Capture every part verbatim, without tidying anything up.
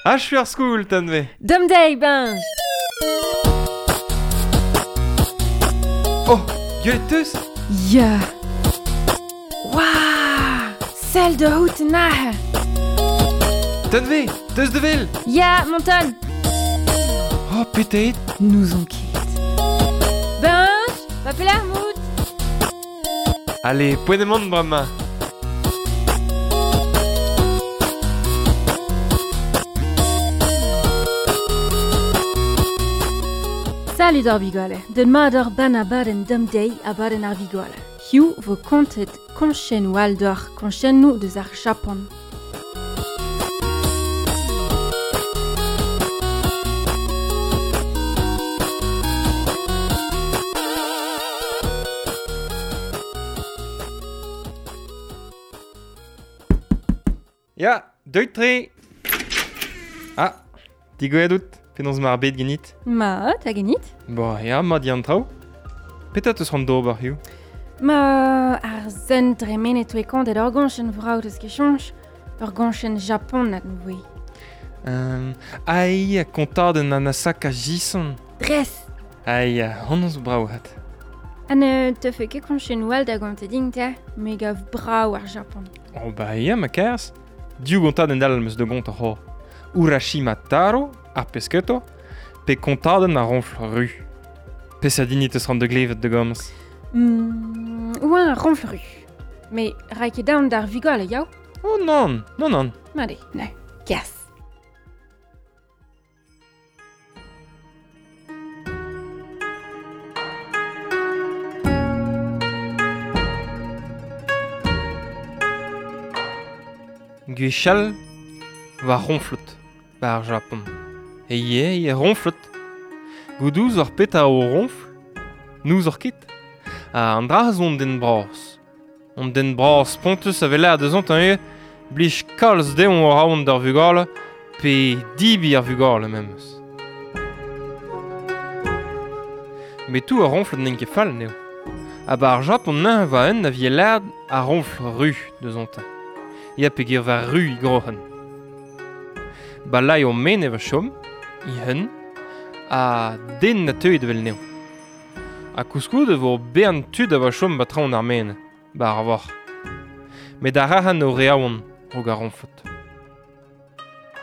Achu ar skoul, Tanve. Dom deiz, Benj. Oh, gwelet teus? Ya. Waouh! Sell da out nahe. Tanve, teus de vel? Ya, monton. Oh, petet. Nous on ket. Benj, va pelar mout. Allez, poent emaon bremañ. Salut ar vigale, den mat ar ban abadenn dam deiz abadenn ar vigale. Hiziv vo kontet koñchennoù all deoc'h, koñchennoù deus ar Japan. Ya, deuit tre. Ah, digouezhet out. Penaos emañ ar bed ganit? Mat, ha ganit? Bon, ya, mat eo an traoù. Petra teus c'hoant d'ober hiziv? Ma ar zen dremenet oe kontet ur goñchenn vrav deus ket soñj, ur goñchenn japonat voe. Euh, ai, kontadenn an Asaka Jison. Dres! Ai, honnezh zo brav hat. Ha ne teufe ket koñchennoù all da gontañ din, te? Me gav brav ar Japan. Oh ba ya, ma kerz. Div gontadenn all 'm eus da gontañ c'hoazh. Urashima Taro, ar pesketo, pe kontadenn ar roñfl ru. Peseurt hini teus c'hoant da glevet da gomz? Mm, oa ar roñfl ru. Me ray ket daon d'ar vugale, yaou? Oh non, non, non. Mat eo, ne, kerzh. Gwechall war roñflot, ba ar Japon. E ye, e roñflot. Goudouz ar petra o roñfl, n'ouzoc'h ket. Ha an dra zo an den bras. An den bras spontus a vez lâret deus an eo, blij kalz dezhañ o raont d'ar vugale, pe dibi ar vugale memes. Met tout ar roñflot n'int ket fall n'eo. Ha ba ar Japon neuze va un a vije lâret ar roñfl ru deus an. Ya peogwir war ru e groc'hen. Ba lai o men e va chom, i hun, ha den na teuet evel neo. Ha koulskoude vo bern tud a va chom ba traoñ ar men, ba ar voc'h. Met ar arc'hant o re aon, rog ar roñflot.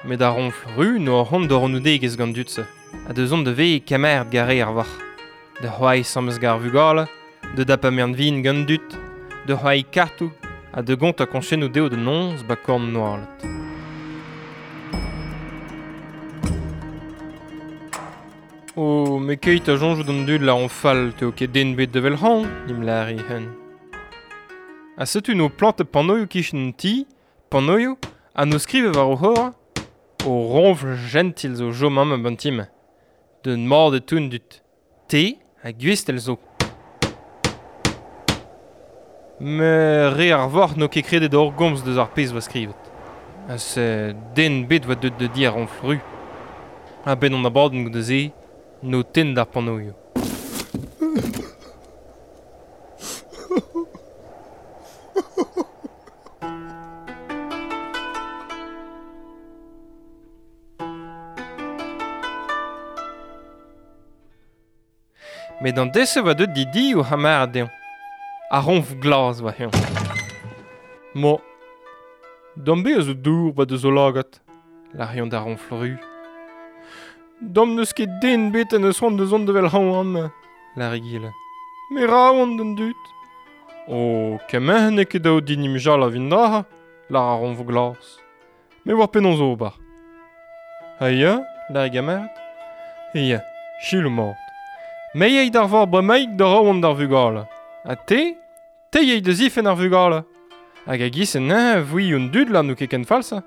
Met ar roñfl ru no ar c'hoant d'hor anoudegezh gant dud-se, ha deus on da vez kemeret gare ar voc'h. Da c'hoari sammez gar vugale, da dapa mern vin gant dud, da c'hoari kartoù, ha da gontañ koñchennoù dezho da noz ba korn noalet. Oh, me keit a soñjout an dud la on fall teo ket den bet da vel c'hoant, nim lâre hen. Ha setu no plantet panoioù kichen an ti, panoioù, ha no skrive war o c'hor, o roñfl gentil zo chom amañ ban ti-mañ. D'un mard e toun dud. Te ha gwestell zo. Me re ar voc'h n'o ket kredet hor gomz deus ar pezh oa skrivet. Ha se den bet oa deut da di ar roñfl ru. Ha ben an abadenn goude se, no tenn d'ar panoioù. Met an dese oa deut di di o c'hamarad dezhañ. Ar roñfl glas oa heñ. Mo, dam be a zo dour ba deus o lagad, lâr d'ar roñfl ru. Dam n'eus ket den bet en eus c'hoant da zont da vel c'hoant amañ, lâr egile. Me ra oan d'an dud. Oh, kement n'eo ket dav din imjal a vin dra, lâr ar roñfl glas. Me war penaos ober. Ha ya, lâr e gamarad. Ya, chilou mat. Me yey d'ar vor bremaik da raont d'ar vugale. Ha te, te yey da zifenn ar vugale. Hag a giz en neñv vui un dud la n'o ket ken falsa.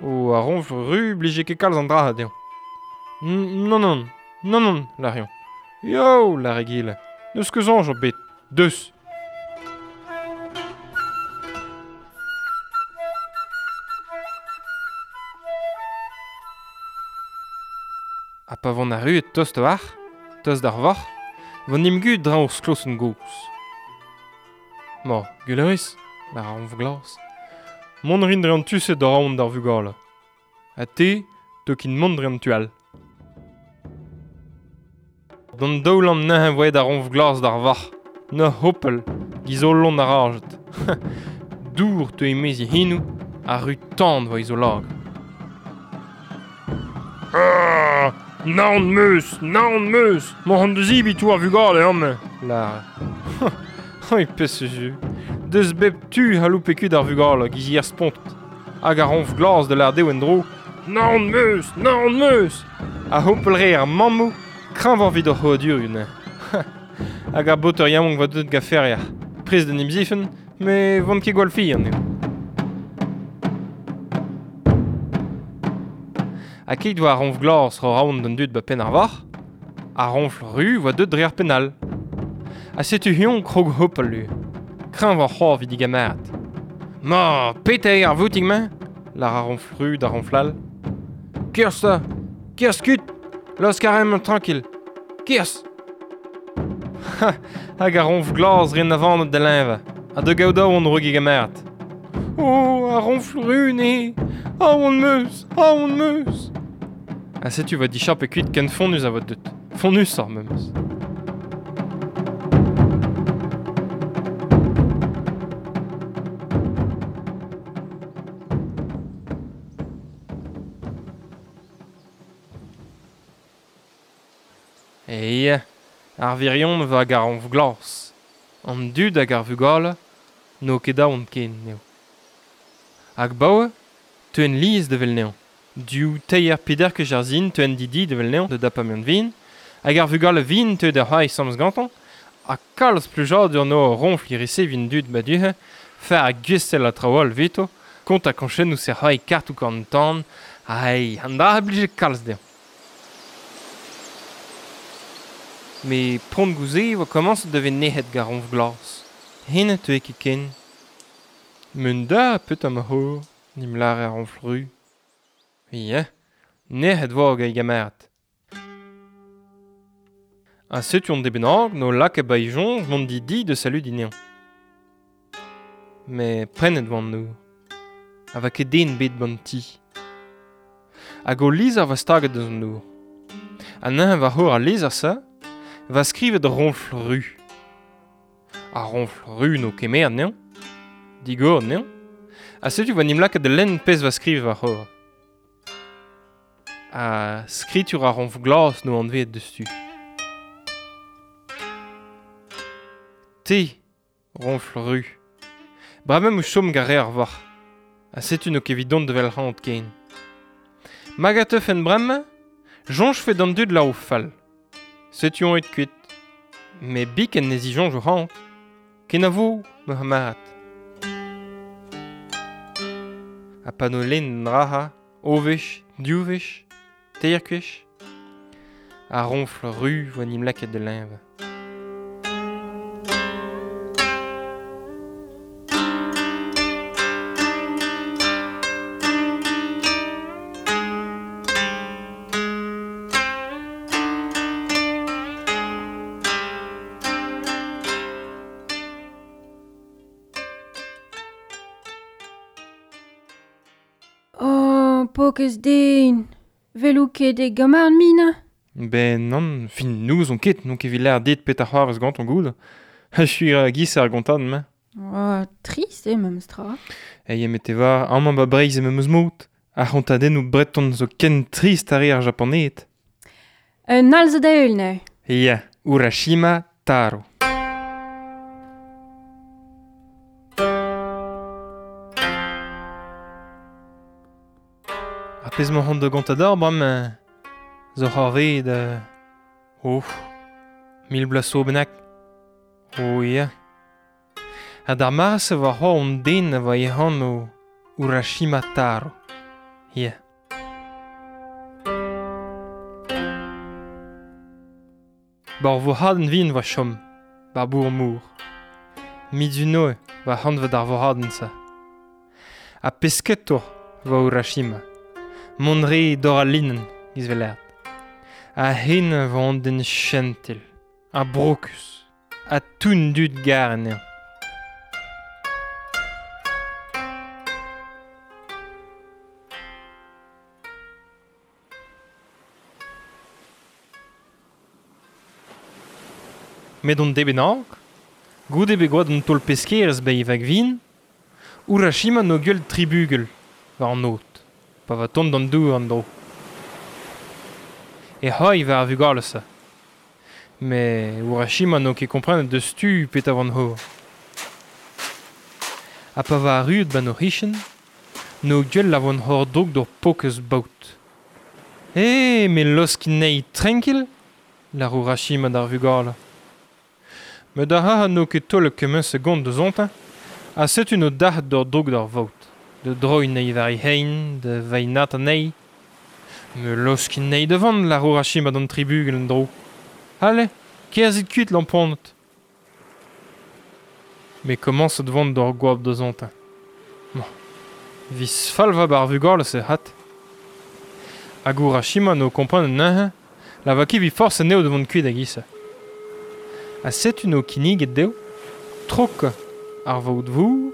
O ar roñfl ru blije ket kalz an dra dezhañ. Non, non, non, non, lâr eñ. Yo, lâr egile. N'eus ket soñj ebet. Deus. Ha pa vont arruet tost war, tost d'ar voc'h, vont nim gud drañ ur sklosenn gozh. Ma, gwell a ris, lâr ar roñfl glas. Mont rin dre an tu-se da raont d'ar vugale. Ha te, to kin mont dre an tu all. D'an daoulan neuze voet ar ronf glas d'ar varc'h. Ne hopel, gizolon ar arjet. Dour te emezi hinou, a ru tan voa izolag. Ah, naon meus, naon meus, m'en an deus ibi tou ar vugale amme, lar. Oi pes ju. Deus bep tu ha loupe kud ar vugale, gizi ar spont. Hag ar ronf glas de l'ar deo en dro. Naon meus, naon meus. A hopel re ar mammou, kreñv ar vid ar c'hoadur une. Hag ar boter yaouank va deut gaferia. Prez d'an imzifen, me vont ket gwall fi an eo. Ha ket oa ar ronf glas ro raon d'an dud ba pen ar varc'h, ar ronfl ru voa deut dre ar penal. Ha setu hion krog hopal lu. Kreñv ar c'hoar vid digamerat. Ma, pet eo ar voutig-mañ? Lar ar ronfl ru d'ar ronflal. Kerzh ta! Kerzh kut! Laosk ar emañ tranquil! Kerzh! Hag ar ronf glas ren avanet da leñva. Ha da gaout aon rog digamerat. Oh, ar ronfl ru ne! Aon meus! Aon meus! Ha setu va dichap e kuit ken fonnus a vo deut. Fonnus ar memes. E ar virion va hag ar ronf glas. An dud hag ar vugale n'o ket aon ken eo. Hag baoe, teuen liz de vel neon. Du teier peder ket ar zin teuen didi de vel neon de dapamion vin, hag ar vugale vin teu da c'hoari samz gantañ, ha kalz plujadur no ronfl irise vin dud baduhe, fer a gwestel a traoù veto, kont a koñchennoù se c'hoari kartoù gant tan, ai, an dra a blije kalz dezhañ. Me pront gouze vo komañs da vez nec'het gar ronf glas. Hen teue ket ken. Mun da pet am c'hor, nim lare ar ronfl ru. Ya, nec'het vo hag gamerat. Ha setu on debenag no lak e baejoñj mont di di de salut dinean. Me prenet vo an nour. Ha va ket den bet ban ti. Hag o lizher va staget deus an nour. Ha neuze va c'hor al lizher sa, va skrivet ronfl ru. Ar ronfl ru no kemer nean, digor nean, ha setu va nim lakaet da lenn pezh va skrivet va c'hor. Ha skritur ar ronfl glas no anveet deus tu. Te, ronfl ru. Bremañ o chom gare ar varc'h. Ha setu no ket evit dont da vel c'hant ken. Mag a teufen bremañ, joñj fe d'an dud la o fall. Setu on et kuit. Me biken ne zijoñj o c'hant. Kenavo, ma c'hamarad. Ha pa no lenn draha, o wech, div wech, teir kwech. Ar ronfl ru voa nim lakaet da leñva. Oh, pokez den. Velou ket e gamar mina. Ben non, fin nous on ket, non ket evit lâr dit pet ar c'hoarvez gant on goud. Ha suis a giz ar gontan, ma. Oh, trist eo memes tra. Ei em ete war, amañ ba Breizh e memes mod. Ar c'hontadennoù breton zo ken trist ar re ar Japaneed. Un all zo da heul neuze. Ya, Urashima Taro. Ar pezh m'oc'h an da gontador, bremañ, zo c'hoarvezet, euh, oh, mil bloaz zo bennak. Oh ya. Ha d'ar mare-se war c'hoar an den a voa e anv Urashima Taro. Ya. Bar voradenn vin va chom, bar bour mour. Mizunoe va hanvet ar voradenn-se. Ha pesketour va Urashima. Mont re d'or al linen, giz velert. Ha hen va an den chentil, ha brokus, ha toun dud gar anezhañ. Met on debennak, goude bet gwad an taol peskerez be vag vin, Urashima no gwell tribugel, war an aod, pa va tont d'an dour an dro. E c'hoai war ar vugale se. Me Urashima no ket komprenet deus tu pet a van hor. Ha pa va arruet ban o richen, no gwell a van hor drog d'ur pokez baout. E, me loskin nei tranquil, lar Urashima d'ar vugale. Met ar ha no ket taol kement segond deus ontin, ha setu no dac'h d'ur drog d'ar vaot, de droiñ nei war i hein, de vainat anezhi. Me loskin nei devant lar Urashima d'an tribugel en dro. Allez, kerzit kuit lamponnet. Me komañs devant d'ur goab deus ontin. Bon. Vis falva bar vugale se hat. Hag Urashima no kompren neuze, la va ket vi forz anezho devant kuit hag issa. Ha setu no kinniget dezho, trok ar vaot vour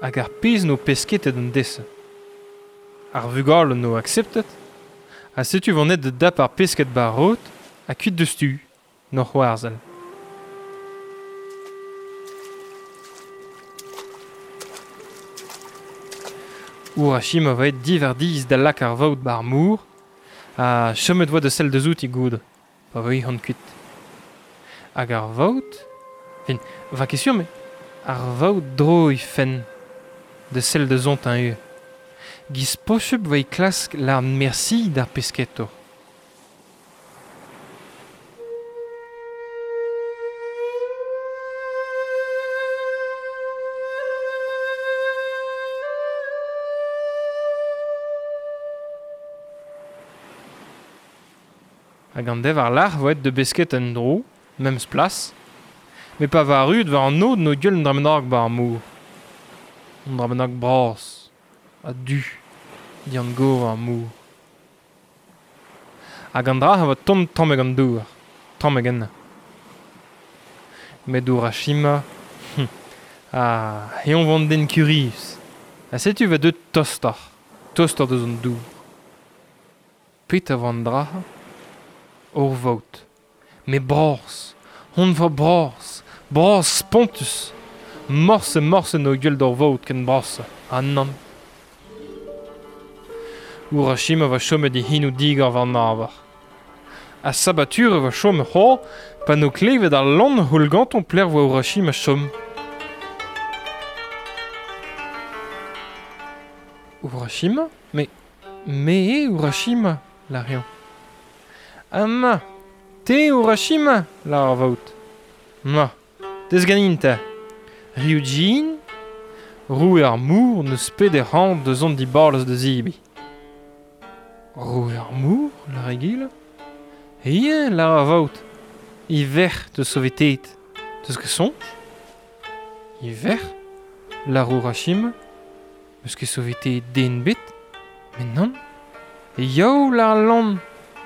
hag ar pezh no pesketet an dese. Ar vugale no akseptet, ha setu vanet da dap ar pesket bar rot ha kuit deus tu, no c'hoarzhel. Urashima va et diverdiz da lak ar vaot bar mour, ha chomet voa de sell deus outi goud, pa vo han kuit. Hag ar vaot, fin, va ket sur, me, ar vaot dro i fenn, de sell deus ont un eo. Giz pochep va i klask lar merci d'ar pesketo. Hag an dev ar lar vo et de besket en dro, memes plas, me pa va arruet war an aod no gwell an dra bennak ba ar mor. An dra bennak bras, ha du, dian gor ar mor. Hag an dra a vo tont tamm hag an dour, tamm hag enna. Met Urashima, hm, ah, eon vant den kurius. Ha setu va deut tostar, tostar deus an dour. Pet a van dra, ur vaot. Me bras, hon va bras, bras spontus. Morse morse no gwell d'ur vaot ken bras, ha nann. Urashima va chomet e hinou digor war an avar. Ha sabature va chom c'ho, pa no klevet ar lann houl ganton pler voa Urashima chom. Urashima? Me, me eo Urashima, la rion. Ama, te Urashima, la ar vaot. Ma, deus ganin ta. Ryujin, roue ar mour neus pet e c'hant deus an dibarlez da zibi. Roue ar mour, la regil? Ie, la ar vaot. I verc'h deus sovetet. Deus ket soñj? I verc'h, la Urashima, eus ket sovetet den bet? Met nann. E yaou la ar lann.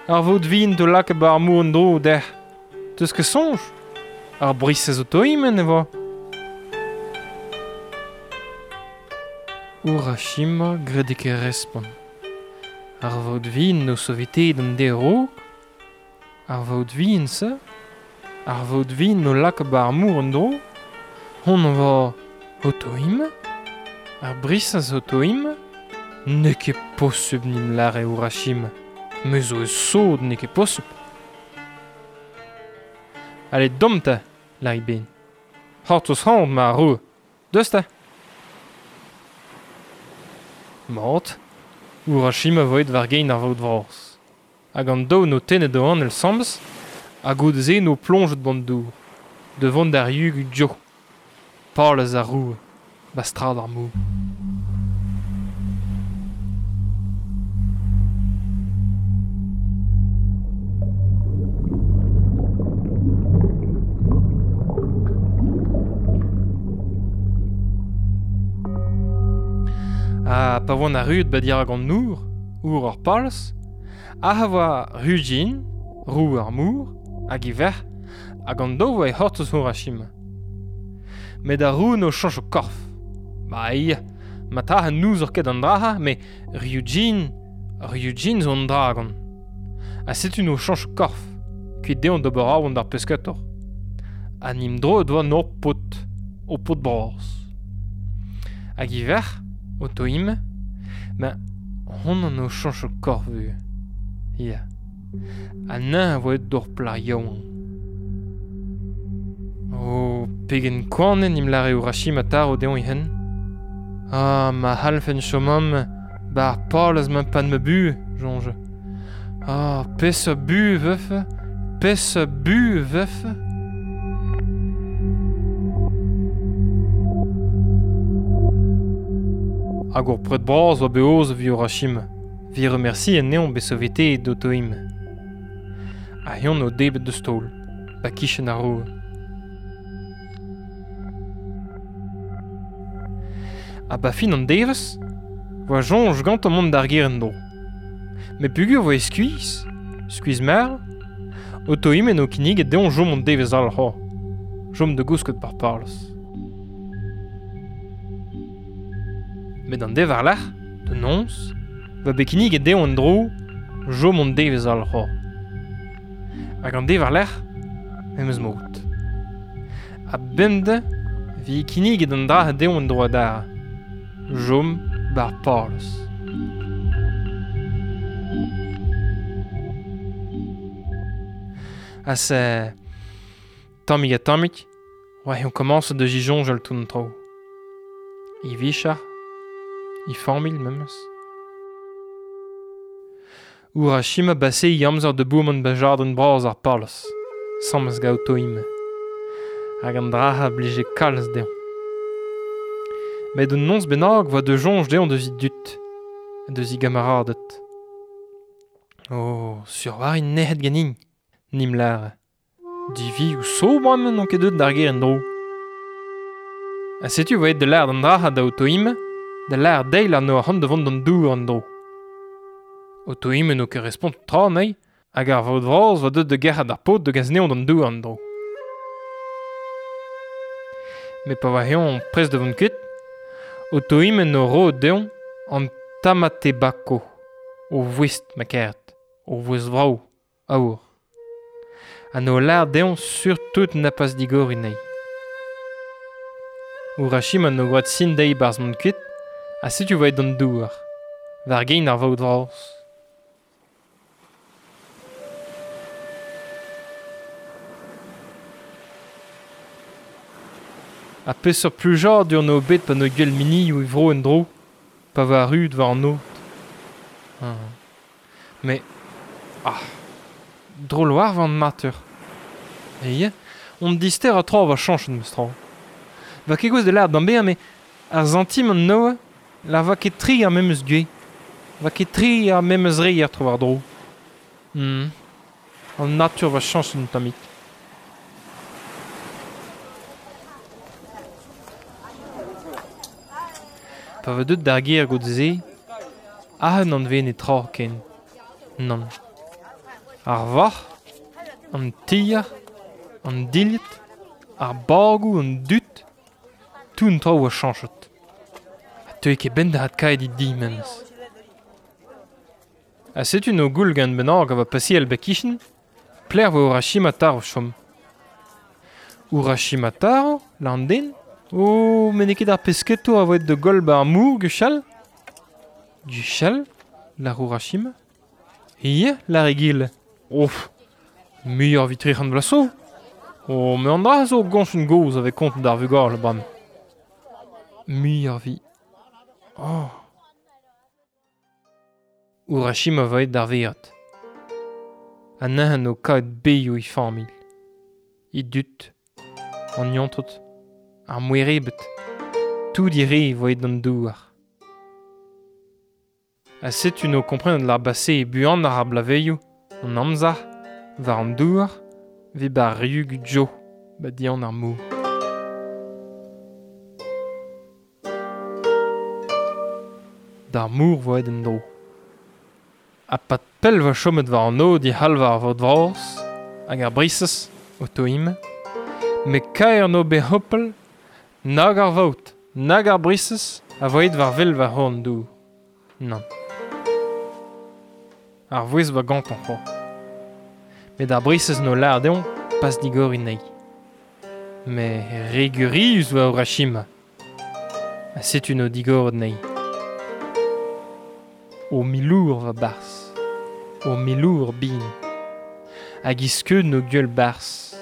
Ar vaot vin do lak ba ar mour an dro dec'h. Deus ket soñj? Ar brisez o toimen e vo. Urashima graet ket respont. Ar vaot vin no sovetet an dero. Ar vaot vin se. Ar vaot vin no lak ba ar mour an dro. Hon va o toim. Ar brisez o toim. N'eo ket posubl nim lare Urashima. Me zo eus sod n'eo ket posubl. Allez, dom ta, lari ben. C'hortoz c'hant ma roue. Deus ta. Mat, Urashima vo et war gein ar vaot vras. Hag an daou no tennet o an el sambes, hag o ze no plonjet ban dour. Devant d'ar yug djo. Palez ar roue, bastrad ar mou. Ha pa voan arruet ba dirak an nour, our ar palz, ha voa Ryujin, roue ar mour, hag i verc'h, hag an daou voa e c'hortoz Urashima. Met ar roue no chañch o korf. Ba ia, ma ta ha nouzor ket an draha, me Ryujin, Ryujin zo an dragon. Ha setu no chañch o korf, kuit dezhañ d'ober aon d'ar pesketor. Ha nim dro doa nor pot, o pot bras. Hag i verc'h, o toim, ben, hon an o chanch o korvu. Ya. Ha nain a voet d'or plar yaouank. O, pegen koanen im lare Urashima Taro deon i hen. Ah, ma halfen chomam, ba ar palez ma pan ma bu, jonge. Ah, pes bu veuf, pes bu veuf. Hag ur pred bras oa beoz vi Urashima. Vi remerci en neon besovete d'otoim. A yon o debet de stol, ba kichen ar roue. A ba fin an devez, voa jonj gant mont d'ar ger en dro. Me pugur voa skuiz, skuiz mer, otoim en o kinnig et deon jom an devez al c'ho. Jom de gousket par parles. Met an dev ar lec'h, de nons, va bekinnig et deon en dro, jom an devez al c'ho. Hag an dev ar lec'h, memes mot. A bemde, vi kinnig et an dra deon en dro adar. Jom bar parles. Ha se... Tammig ha tammig, oa on commence de gijonj al tout an tro. I vichar, i familh memes. Urashima basse i amzer de boumont ba jardin bras ar parles, sammes gaotoim. Hag an draha blije kalz deon. Met un nons bennak voa de jonj deon deus i dut, deus i gamaradet. Oh, sur war in nehet ganin, nim lare. Divi ou so bremañ n'on ket deut d'ar ger en dro. Ha setu voet de l'ar d'an draha da otoim, da l'ar deil an o arc'hant de vont d'an dour an dro. Otoim en o ket respont tra nei, hag ar vaot vras voa deut de gerc'hat ar paotr de gaz neon d'an dour an dro. Met pa oa heon prest de vont kuit, otoim en o ro deon an tamatebako, o voest ma kert, o voest vrao, aour. An o lar deon surtout na pas digor inei. Urashima no gwad sin dei barz mont kuit, ha setu voet d'an douar, war gein ar vaot vras. A peseurt plujar dur no bet pa no gwell mini ou vro en dro, pa va rud war an ot. Ah. Mais, ah, drôle war van matur. E on dister a tro va chanch en meus tro. Va ket gouez de l'ar d'an bezañ, mais ar zantim an noa, la va ket tri ar memes gwez. Va ket tri ar memes reier tro war dro. Hmm. An natur va chanch en tammig. Pa va deut d'ar ger gant se, ahen an ven e tra ken. Nann. Ar varc'h, an tier, an dilhad, ar bagoù, an dud, tout an traoù a chañchet. Ha teue ket benn da adkaet di memes. Ha setu no goul gant bennak a va pasiel ba kichen, pler vo Urashima Taro chom. Urashima Taro, la an den? Oh, met n'eo ket ar pesketour a voet de goll ba ar mour, gwechall? Gwechall, lar Urashima? Ie, lar egil. Ouf, muioc'h evit tri c'hant vloaz zo. Oh, me an dra zo goñch goz avec kont d'ar vugale bram. Muioc'h evit... Oh. Urashima voet d'ar veat. Ha neuze o kaout beioù i familh. I dud, an yontrot, ar mouerebet, tout i re voet d'an douar. Ha setu no kompren l'ar basse e buan ar ar blaveioù, an amzer, war an douar, vi ba riu gudjo, ba dian ar mor. D'ar mor voet en dro. Ha pat pell va chomet war an od i halv ar vot vras, hag ar brisez, o toim, me kaer no be hopel, nag ar vaot, nag ar brisez, a voet war vel war horn dour. Nann. Ar vouez va gant an c'ho. Met ar brisez no lar deon pas digor inei. Me regurius oa Urashima. Ha setu no digoret nei. O milour va bars. O milour bin. Hag iskeud no gueul bars.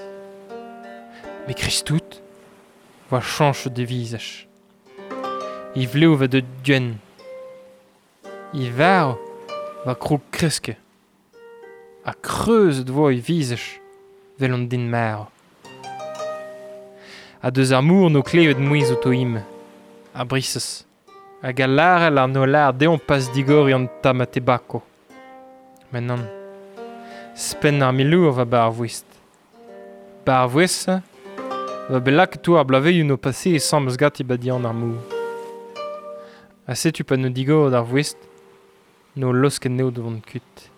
Me kristout voa chanch de vizaj. I vleo va deut gwenn. I varv va krog kreske. Ha kreuzet voa i vizaj vel an din marv. Ha deus ar mour no klevet mouez o toim. A brisez. Hag a larel ar no lar deon pas digori an tamatebako. Men nann. Spenn ar milour va bar vouest. Bar vouest, va belak to ar blaveioù no pase e sammes gati ba dian ar mour. Ha setu pa no digor ar vouest, no losket neo devant kuit.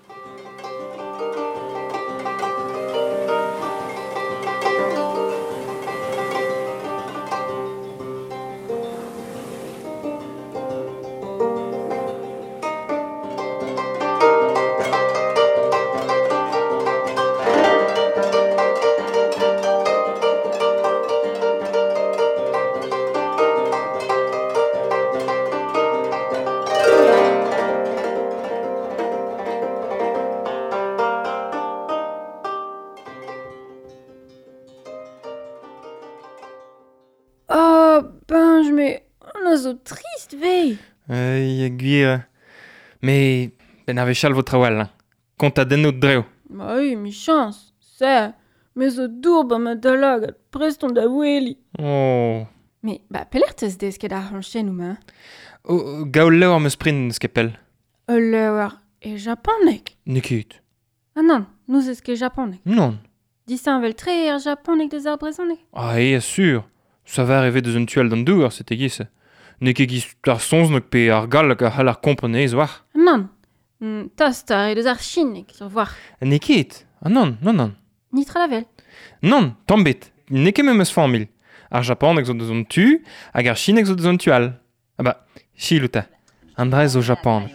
Oh, ben, je me... On a zo trist, vei. Euh, gwir. Me, ben ar vechal vo trawal. Kont a denno dreo. Bah oui, mi chance. Se, me zo dour ba ma dalag at prest on da weli. Oh. Me, ba, pelec'h teus desket ar c'honchennoù ma? Oh, gaol levr meus pren neus ket pell. Ul levr e japaneg. N'eo ket. Ah non, nous eus ket japaneg. Non. Disheñvel tre ar japaneg deus ar brezhoneg. Ah, e, sûr. Ça va arriver deus un tual d'an douar, c'était giz. N'eo ket giz ar sonznok pe ar galleg a c'hall ar kompren ez war. Nann. Mm, tost ar e deus ar chineg, sur war. N'eo ket. Ah non, non, non. Nitra la vel. Non, tamm bet. N'eo ket memes familh. Ar japaneg zo deus an tu, hag ar chineg zo deus an tu all. Ah ba, chilouta. An dra zo japaneg.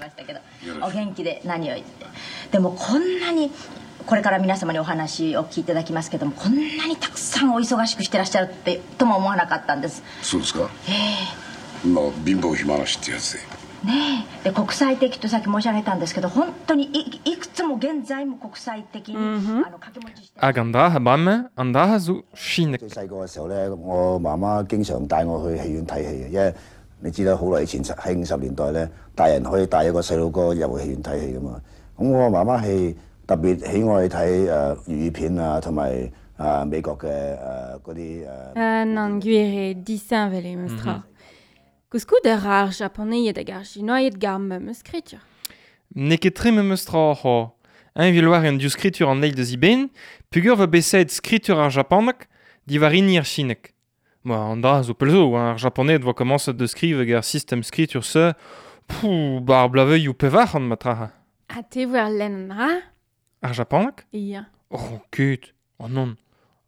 お元気で何を言って。でもこんなにこれから皆様にお話を聞いていただきますけども、こんなにたくさんお忙しくしてらっしゃるってとも思わなかったんです。そうですか。ええ。まあ貧乏暇なしってやつで。ねえ。で国際的とさっき申し上げたんですけど、本当にい、いくつも現在も国際的に、うんあの掛け持ちして。 Hag an dra ha bremañ, an dra zo chineg. 最細個嘅時候咧，我媽媽經常帶我去戲院睇戲嘅，因為你知啦，好耐以前喺五十年代咧，大人可以帶一個細路哥入去戲院睇戲噶嘛。咁我媽媽係特別喜愛睇誒粵語片啊，同埋啊美國嘅誒嗰啲誒。 Ah nann, gwir eo disheñvel eo meus tra. Koulskoude ar ar japaneied hag ar chinoied gar memes skritur. N'eo ket tre memes tra ho. Un vil war an div skritur an eil deus iben, pugur va besaet skritur ar japaneg diwar hini ar chineg. Ma, an dra zo pell zo, hein, ar japaned voa komañset da skriv hag ar sistem skritur se, pouh, ba ar blaveioù pevar an ma tra. Ha te voa ar lenn an dra? Ar japaneg? Ya. Oh, ket. Oh non.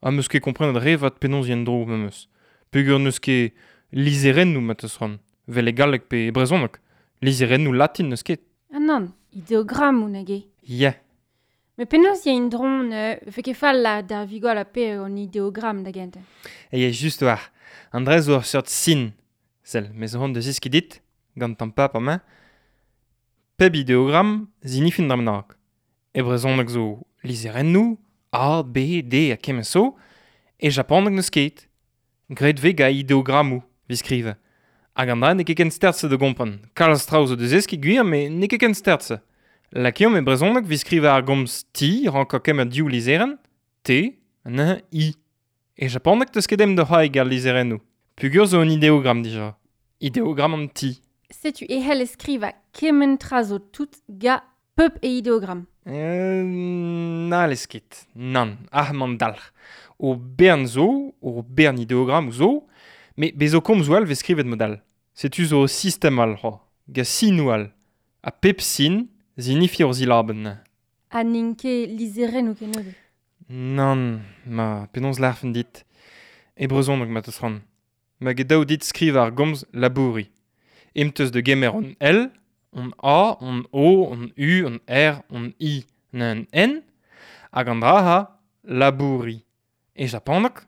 Ha meus ket komprenet re vat penaos yen dro memes. Peogwir n'eus ket lizherennoù ma teus c'hoant. Vel e galleg pe e brezhoneg. Lizherennoù latin n'eus ket. Ah nann, ideogrammoù nag eo. Ya. Me penaos ya indron euh, fe ket fall la d'ar vigol a pe an ideogramm da gentañ. E ya just war. An dra zo ur seurt sin. Sell, me zo c'hoant da zeskiñ dit, gant tamm pap amañ. Pep ideogramm zinifin dra bennak. E brezhoneg zo lizherennoù, A, B, D ha kement zo, e japaneg n'eus ket. Graet vez gant ideogrammoù, 'vit skrivañ. Hag an dra n'eo ket ken stert-se da gompren. Kalz traoù zo da zeskiñ gwir, met n'eo ket ken stert-se. Lakeomp e brezhoneg 'vit skrivañ ar gomz ti, rankañ kemer div lizherenn, T, an I. E japaneg teus ket em da c'hoari ar lizherennoù. Peogwir zo un ideogramm dija. Ideogramm an ti. Setu e c'hell skrivañ kement tra zo tout ga pep e ideogramm. Euh, n'hallez ket. Nann, ar man dalc'h. O bern zo, o bern ideogrammoù zo, met bez zo komzoù all vez skrivet mod all. Setu zo sistem all, ho, ga sinoù all. Ha pep sin zinifi ur zilabenn. Ha n'int ket lizherennoù kennebeut. Nann, ma penaos larfen dit. E brezhoneg ma teus c'hoant. Ma get daou dit skriv ar gomz labouri. Em teus da gemer an L, an A, an O, an U, an R, an I, an N, hag an dra ha labouri. E japaneg,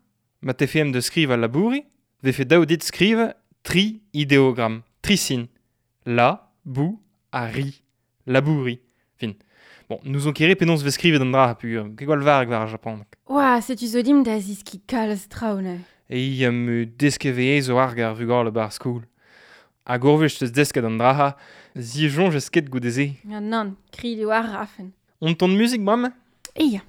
Ma tefeem de skriv al labouri, vefe daou dit skriv tri ideogram, tri sin. La, bou, ha ri. Labouri. Fin. Bon, nous on kere penaos vez skrivet an dra, pu ket gwall varg war ar Japan. Oa, setu zo dim da ziski kalz traoù neuze. E i am deskeve zo arg ar vugale bar skoul. Hag orvech teus desket an draha, zi jonj ez ket goude-se. Ja, nann, kri eo ar rafen. On ton muzik, bremañ? E ya.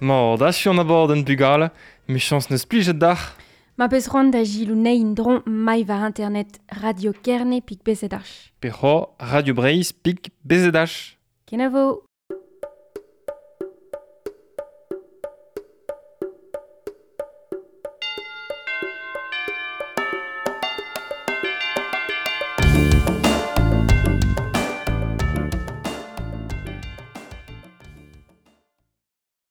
Mor, da an abord an bugale, mi chans neus plijet dac'h. Ma peus c'hoant da gilou nein dron mai war internet Radio Kerne pik B Z H. Pe c'ho Radio Breizh pik B Z H. Kenavo.